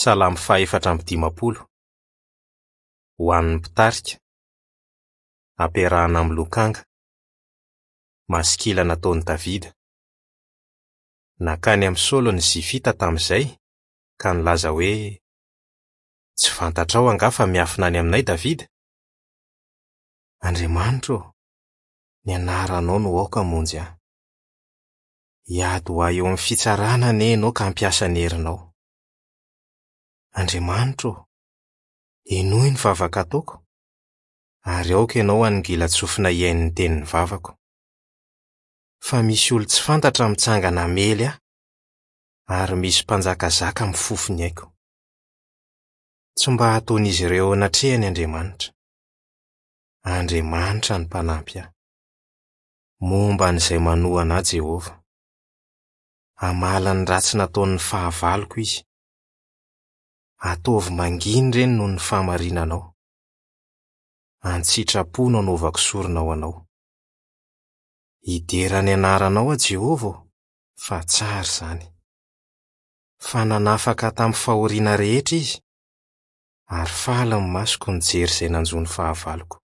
Salamo faha-54. Ho an'ny mpitarika. Ampiarahana amin'ny lokanga. Masikila nataon'i Davida. Nankany amin'i Saoly ny Zifita tamin'izay, ka nilaza hoe, Tsy fantatrao angaha fa miafina any aminay Davida? Andriamanitra ô, ny anaranao no aoka hamonjy ahy. Hiady ho ahy eo amin'ny fitsarana anie ianao ka hampiasa ny herinao. Andriamanitra ô, henoy ny vavaka ataoko, ary aoka ianao hanongilan-tsofina hihaino ny tenin'ny vavako. Fa misy olon-tsy fantatra mitsangana hamely ahy, ary misy mpanjakazaka mifofo ny aiko. Tsy mba hataon'izy ireo eo anatrehany Andriamanitra. Andriamanitra no mpanampy ahy. Momba an'izay manohana ahy Jehovah. Hamaly ny ratsy nataon'ny fahavaloko izy. Ataovy mangina ireny noho ny fahamarinanao. An-tsitrapo no anaovako sorona ho anao. Hidera ny anaranao aho, Jehovah ô, fa tsara izany. Fa nanafaka ahy tamin'ny fahoriana rehetra izy, ary faly ny masoko nijery izay nanjo ny fahavaloko.